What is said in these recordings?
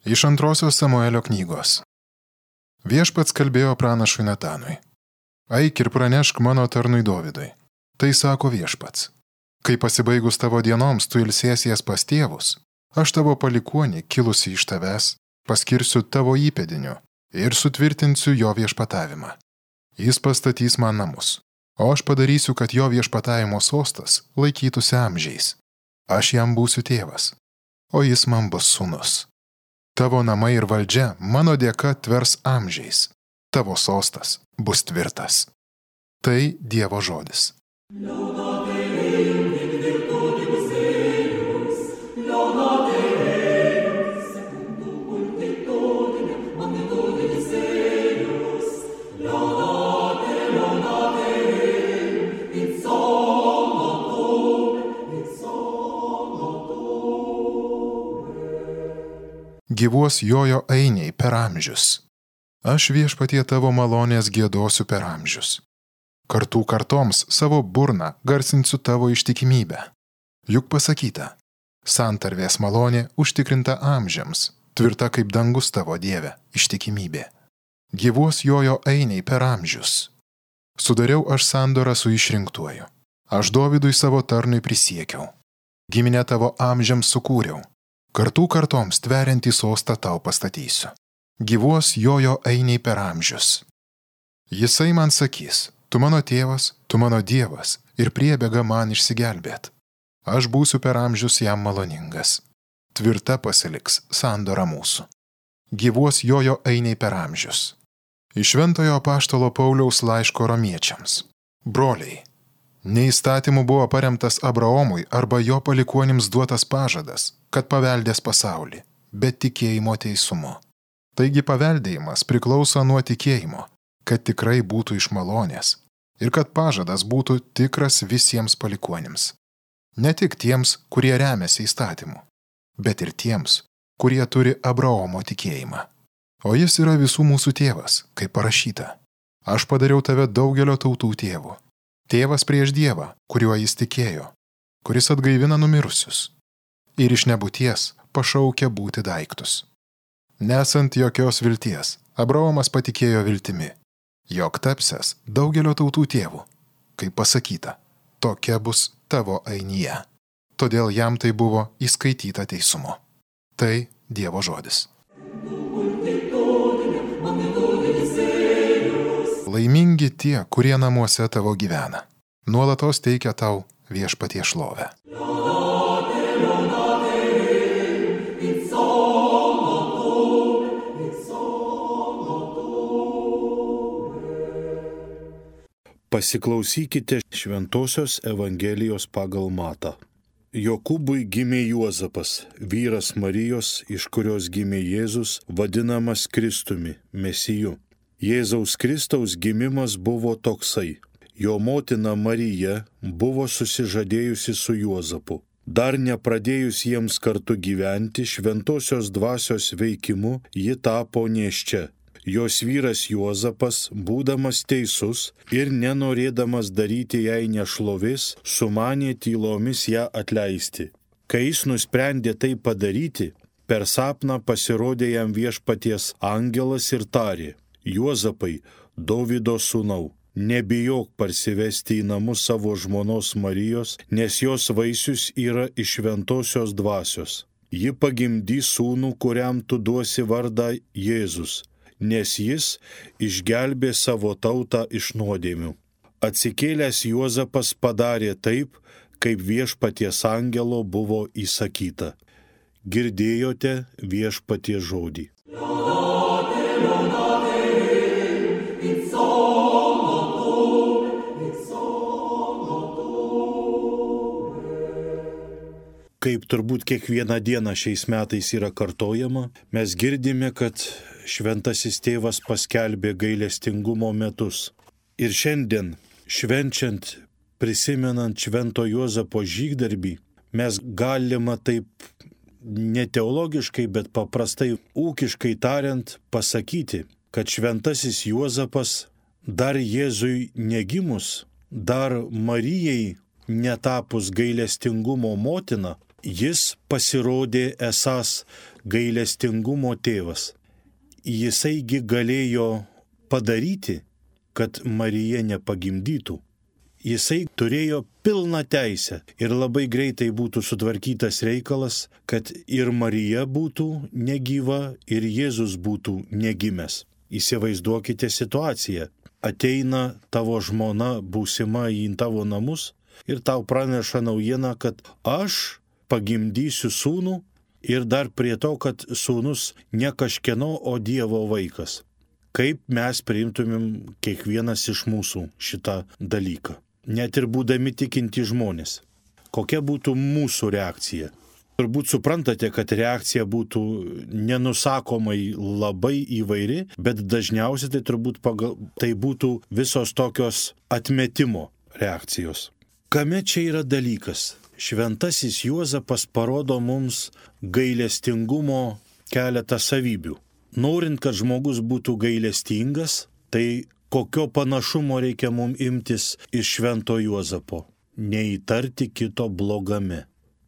Iš 2 Samuelio knygos. Viešpats kalbėjo pranašui Natanui. Eik ir pranešk mano tarnui Dovydui. Tai sako Viešpats. Kai pasibaigus tavo dienoms tu ilsėsies pas tėvus, aš tavo palikuonį, kilusi iš tavęs, paskirsiu tavo įpėdiniu ir sutvirtinsiu jo viešpatavimą. Jis pastatys man namus, o aš padarysiu, kad jo viešpatavimo sostas laikytųsi amžiais. Aš jam būsiu tėvas, o jis man bus sūnus. Tavo namai ir valdžia mano dėka tvers amžiais. Tavo sostas bus tvirtas. Tai Dievo žodis. Gyvuos jojo ainiai per amžius. Aš Viešpatie tavo malonės giedosiu per amžius. Kartų kartoms savo burną garsinsiu tavo ištikimybę. Juk pasakyta, santarvės malonė užtikrinta amžiams, tvirta kaip dangus tavo Dieve, ištikimybė. Gyvuos jojo ainiai per amžius. Sudariau aš sandorą su išrinktuoju. Aš Dovydui savo tarnui prisiekiau. Giminę tavo amžiams sukūriau. Kartų kartoms tveriantį sostą tau pastatysiu. Gyvuos jojo ainiai per amžius. Jisai man sakys, tu mano tėvas, tu mano Dievas ir priebėga man išsigelbėt. Aš būsiu per amžius jam maloningas. Tvirta pasiliks sandora mūsų. Gyvuos jojo ainiai per amžius. Iš Šventojo apaštalo Pauliaus laiško romiečiams. Broliai, ne įstatymu buvo paremtas Abraomui arba jo palikuonims duotas pažadas, kad paveldės pasaulį, bet tikėjimo teisumu. Taigi paveldėjimas priklauso nuo tikėjimo, kad tikrai būtų iš malonės ir kad pažadas būtų tikras visiems palikuonims. Ne tik tiems, kurie remiasi įstatymu, bet ir tiems, kurie turi Abraomo tikėjimą. O jis yra visų mūsų tėvas, kaip parašyta. Aš padariau tave daugelio tautų tėvu. Tėvas prieš Dievą, kuriuo jis tikėjo, kuris atgaivina numirusius. Ir iš nebūties pašaukia būti daiktus. Nesant jokios vilties, Abraomas patikėjo viltimi, jog tapsiąs daugelio tautų tėvų. Kaip pasakyta, tokia bus tavo ainija. Todėl jam tai buvo įskaityta teisumu. Tai Dievo žodis. Laimingi tie, kurie namuose tavo gyvena. Nuolatos teikia tau Viešpatie šlovę. Pasiklausykite Šventosios Evangelijos pagal Matą. Jokūbui gimė Juozapas, vyras Marijos, iš kurios gimė Jėzus, vadinamas Kristumi, Mesiju. Jėzaus Kristaus gimimas buvo toksai. Jo motina Marija buvo susižadėjusi su Juozapu. Dar nepradėjus jiems kartu gyventi, šventosios dvasios veikimu ji tapo nėščia. Jos vyras Juozapas, būdamas teisus ir nenorėdamas daryti jai nešlovės, sumanė tylomis ją atleisti. Kai jis nusprendė tai padaryti, per sapną pasirodė jam Viešpaties angelas ir tarė: Juozapai, Dovydo sūnau, nebijok parsivesti į namus savo žmonos Marijos, nes jos vaisius yra iš šventosios dvasios. Ji pagimdys sūnų, kuriam tu duosi vardą Jėzus, nes jis išgelbė savo tautą iš nuodėmių. Atsikėlęs Juozapas padarė taip, kaip Viešpaties angelo buvo įsakyta. Girdėjote Viešpaties žodį. Kaip turbūt kiekvieną dieną šiais metais yra kartojama, mes girdime, kad Šventasis Tėvas paskelbė gailestingumo metus. Ir šiandien, švenčiant, prisimenant Švento Juozapo žygdarbį, mes galima taip ne teologiškai, bet paprastai ūkiškai tariant pasakyti, kad Šventasis Juozapas dar Jėzui negimus, dar Marijai netapus gailestingumo motina, jis pasirodė esąs gailestingumo tėvas. Jisaigi galėjo padaryti, kad Marija nepagimdytų. Jisai turėjo pilną teisę ir labai greitai būtų sutvarkytas reikalas, kad ir Marija būtų negyva, ir Jėzus būtų negimęs. Įsivaizduokite situaciją. Ateina tavo žmona būsima į tavo namus ir tau praneša naujieną, kad aš pagimdysiu sūnų ir dar prie to, kad sūnus ne kažkieno, o Dievo vaikas. Kaip mes priimtumėm kiekvienas iš mūsų šitą dalyką? Net ir būdami tikinti žmonės. Kokia būtų mūsų reakcija? Turbūt suprantate, kad reakcija būtų nenusakomai labai įvairi, bet dažniausiai tai turbūt tai būtų visos tokios atmetimo reakcijos. Kame čia yra dalykas? Šventasis Juozapas parodo mums gailestingumo keletą savybių. Norint, kad žmogus būtų gailestingas, tai kokio panašumo reikia mums imtis iš Švento Juozapo? Neįtarti kito blogame.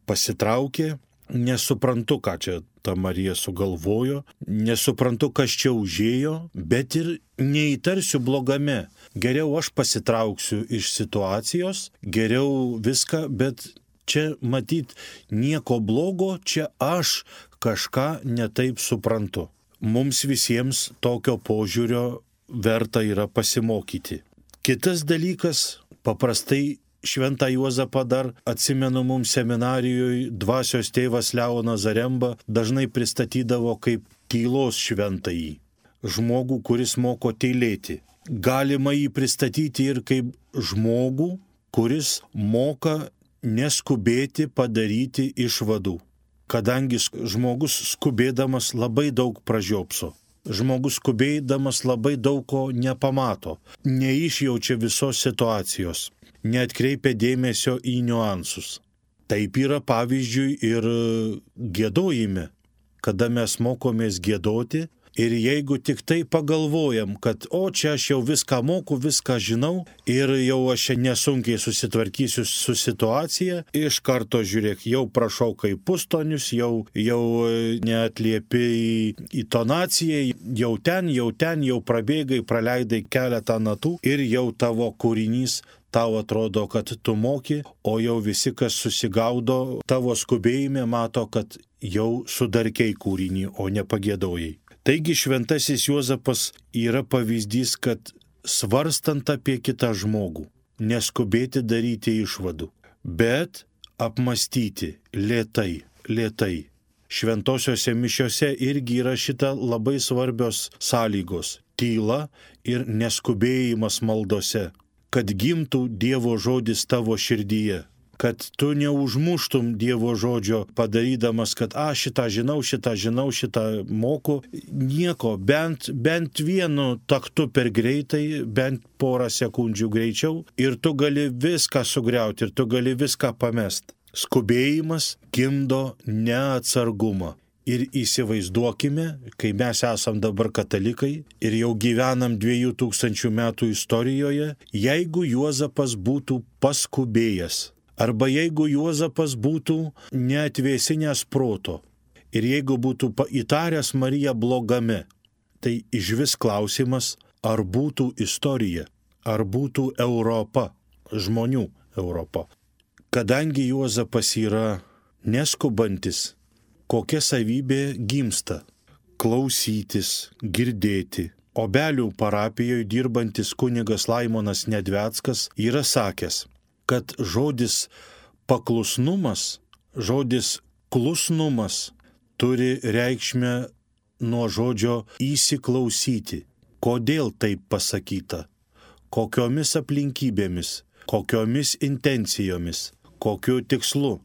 Pasitraukė, nesuprantu, ką čia ta Marija sugalvojo, nesuprantu, kas čia užėjo, bet ir neįtarsiu blogame. Geriau aš pasitrauksiu iš situacijos, geriau viską, bet čia matyt nieko blogo, čia aš kažką netaip suprantu. Mums visiems tokio požiūrio verta yra pasimokyti. Kitas dalykas, paprastai Šventą Juozapą dar atsimenu mums seminarijoje dvasios tėvas Leonas Zaremba dažnai pristatydavo kaip tylos šventąjį. Žmogų, kuris moko tylėti. Galima jį pristatyti ir kaip žmogų, kuris moka neskubėti padaryti išvadų. Kadangi žmogus skubėdamas labai daug pražiopso. Žmogus skubėdamas labai daug ko nepamato, neišjaučia visos situacijos, neatkreipia dėmesio į niuansus. Taip yra pavyzdžiui ir giedojime, kada mes mokomės giedoti ir jeigu tik tai pagalvojam, kad čia aš jau viską moku, viską žinau ir jau aš nesunkiai susitvarkysiu su situacija, iš karto žiūrėk, jau prašau kaip pustonius, jau neatliepi į tonaciją, jau ten prabėgai, praleidai keletą natų ir jau tavo kūrinys tau atrodo, kad tu moki, o jau visi, kas susigaudo tavo skubėjime, mato, kad jau sudarkei kūrinį, o ne pagėdojai. Taigi Šventasis Juozapas yra pavyzdys, kad svarstant apie kitą žmogų, neskubėti daryti išvadų, bet apmastyti lėtai. Šventosiose mišiose irgi yra šita labai svarbios sąlygos - tyla ir neskubėjimas maldose, kad gimtų Dievo žodis tavo širdyje. Kad tu neužmuštum Dievo žodžio padarydamas, kad šitą žinau, šitą moku. Nieko, bent vienu taktu per greitai, bent porą sekundžių greičiau ir tu gali viską sugriauti ir tu gali viską pamest. Skubėjimas gimdo neatsargumą. Ir įsivaizduokime, kai mes esam dabar katalikai ir jau gyvenam 2000 metų istorijoje, jeigu Juozapas būtų paskubėjęs. Arba jeigu Juozapas būtų neatvėsinęs proto ir jeigu būtų įtaręs Mariją blogame, tai išvis klausimas, ar būtų istorija, ar būtų Europa, žmonių Europa. Kadangi Juozapas yra neskubantis, kokia savybė gimsta? Klausytis, girdėti. Obelių parapijoje dirbantis kunigas Laimonas Nedveckas yra sakęs, kad žodis paklusnumas, žodis klusnumas turi reikšmę nuo žodžio įsiklausyti. Kodėl taip pasakyta? Kokiomis aplinkybėmis, kokiomis intencijomis, kokiu tikslu?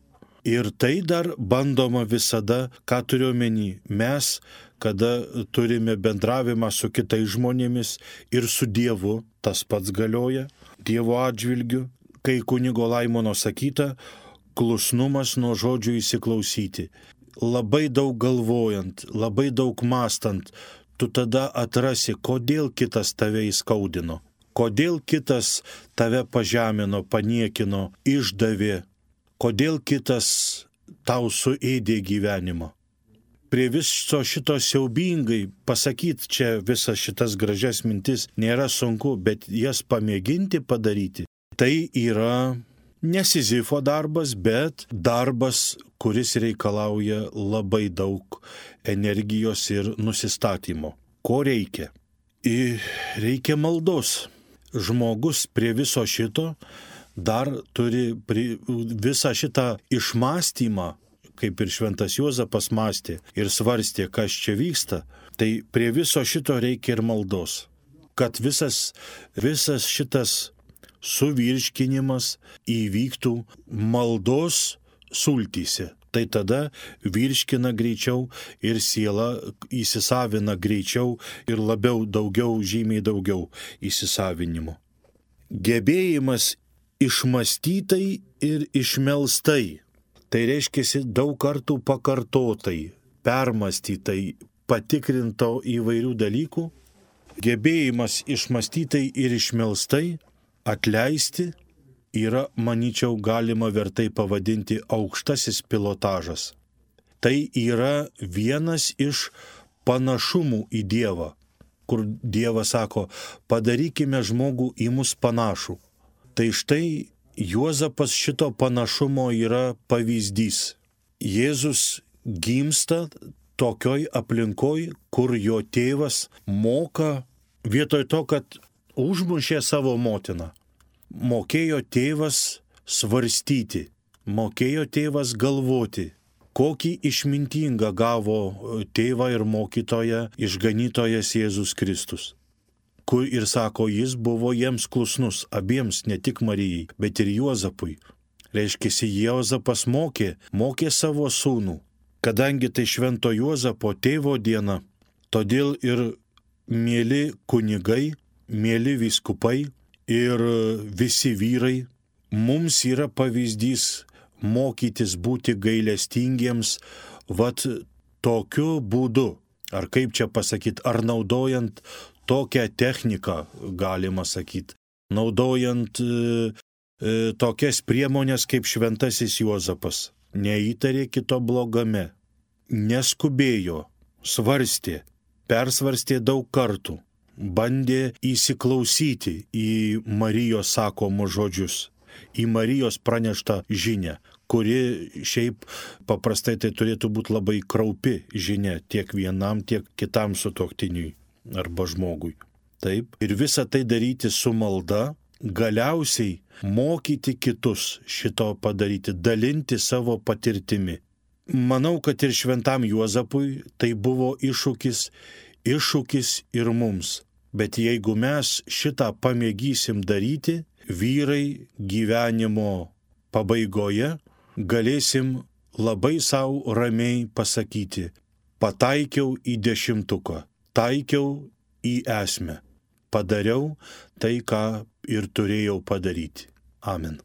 Ir tai dar bandoma visada, ką turiu omeny, mes, kada turime bendravimą su kitais žmonėmis ir su Dievu, tas pats galioja, Dievo atžvilgiu, kai kunigo Laimono sakyta, klusnumas nuo žodžio įsiklausyti. Labai daug galvojant, labai daug mąstant, tu tada atrasi, kodėl kitas tave įskaudino, kodėl kitas tave pažemino, paniekino, išdavė, kodėl kitas tau suėdė gyvenimą. prie viso šito siaubingai pasakyti čia visas šitas gražias mintis nėra sunku, bet jas pamėginti padaryti, tai yra ne Sizifo darbas, bet darbas, kuris reikalauja labai daug energijos ir nusistatymo. Ko reikia? Reikia maldos. Žmogus prie viso šito dar turi visą šitą išmąstymą, kaip ir šventas Juozapas mąstė ir svarstė, kas čia vyksta, tai prie viso šito reikia ir maldos. Kad visas šitas suvirškinimas įvyktų maldos sultyse. Tai tada virškina greičiau ir siela įsisavina greičiau ir labiau, žymiai daugiau įsisavinimo. Gebėjimas išmąstytai ir išmelstai. Tai reiškia daug kartų pakartotai, permąstytai, patikrinto įvairių dalykų. Gebėjimas išmąstytai ir išmelstai atleisti yra, manyčiau, galima vertai pavadinti aukštasis pilotažas. Tai yra vienas iš panašumų į Dievą, kur Dievas sako, padarykime žmogų į mus panašų. Tai štai Juozapas šito panašumo yra pavyzdys. Jėzus gimsta tokioj aplinkoj, kur jo tėvas moka, vietoj to, kad užmušė savo motiną, mokėjo tėvas svarstyti, mokėjo tėvas galvoti, kokį išmintingą gavo tėvą ir mokytoją išganytojas Jėzus Kristus. Kur ir sako, jis buvo jiems klusnus, abiems, ne tik Marijai, bet ir Juozapui. Reiškia, Juozapas mokė savo sūnų. Kadangi tai švento Juozapo tėvo diena, todėl ir mėly kunigai, mėly vyskupai ir visi vyrai, mums yra pavyzdys mokytis būti gailestingiems, tokiu būdu, ar kaip čia pasakyti, ar naudojant tokią techniką, galima sakyti, naudojant tokias priemonės kaip šventasis Juozapas. Neįtarė kito blogame, neskubėjo, svarstė, persvarstė daug kartų, bandė įsiklausyti į Marijos sakomus žodžius, į Marijos praneštą žinią, kuri šiaip paprastai tai turėtų būti labai kraupi žinia tiek vienam, tiek kitam sutuoktiniui arba žmogui. Taip, ir visą tai daryti su malda, galiausiai mokyti kitus šito padaryti, dalinti savo patirtimi. Manau, kad ir šventam Juozapui tai buvo iššūkis ir mums. Bet jeigu mes šitą pamėgysim daryti, vyrai gyvenimo pabaigoje galėsim labai savo ramiai pasakyti, pataikiau į 10, taikiau į esmę, padariau tai, ką ir turėjau padaryti. Amen.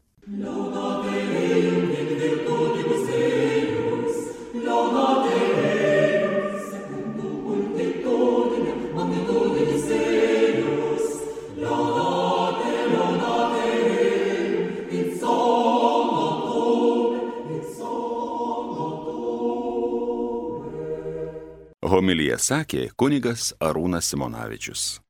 Homiliją sakė kunigas Arūnas Simonavičius.